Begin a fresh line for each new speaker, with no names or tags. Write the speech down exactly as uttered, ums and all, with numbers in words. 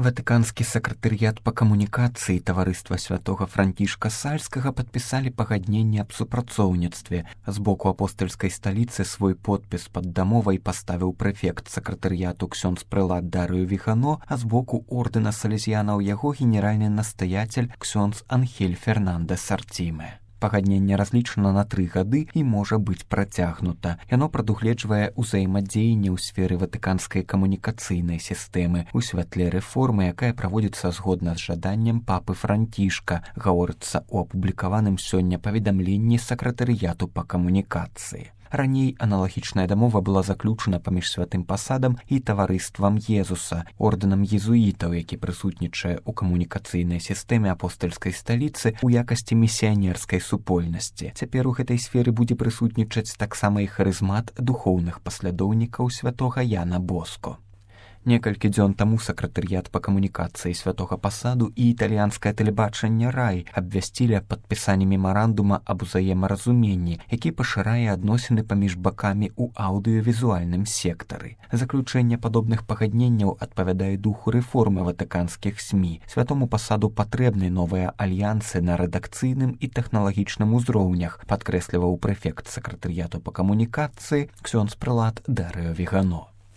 Ватыканскі сакратарыят па камунікацыі таварыства святога Францішка Сальскага падпісалі пагадненне аб супрацоўніцтве. З боку апостальскай сталіцы свой подпіс пад дамовай паставіў прэфект сакратарыяту ксёндз прэлат Дарыё Вігано, а з боку ордэна салезіянаў яго генеральны настаяцель ксёндз Анхель Фернандес Артіме. Пагадненне разлічана на тры гады і можа быць працягнута. Яно прадугледжвае ўзаемадзеянне ў сферы ватыканскай камунікацыйнай сістэмы ў святле рэформы, якая праводзіцца згодна з жаданнем папы Францішка, гаворыцца ў апублікаваным сёння паведамленні сакратарыяту па камунікацыі. Раней аналагічная дамова была заключана паміж святым пасадам і таварыствам Езуса, ордэнам езуітаў, які прысутнічае ў камунікацыйнай сістэме апостальскай сталіцы ў якасці місіянерскай супольнасці. Цяпер у гэтай сферы будзе прысутнічаць таксама і харызмат духоўных паслядоўнікаў святога Яна Боско. Некалькі дзён таму сакратарыят па камунікацыі святога пасаду і італьянскае тэлебачанне Рай абвясцілі аб падпісанні мемарандума аб узаемаразуменні, які пашырае адносіны паміж бакамі ў аўдыёвізуальным сектары. Заключэнне падобных пагадненняў адпавядае духу рэформы ватыканскіх СМІ. Святому пасаду патрэбны новыя альянсы на рэдакцыйным і тэхналагічным узроўнях, падкрэсліваў прэфект сакратарыяту па камунікацыі ксёндз прэлат Дарыё Вігано.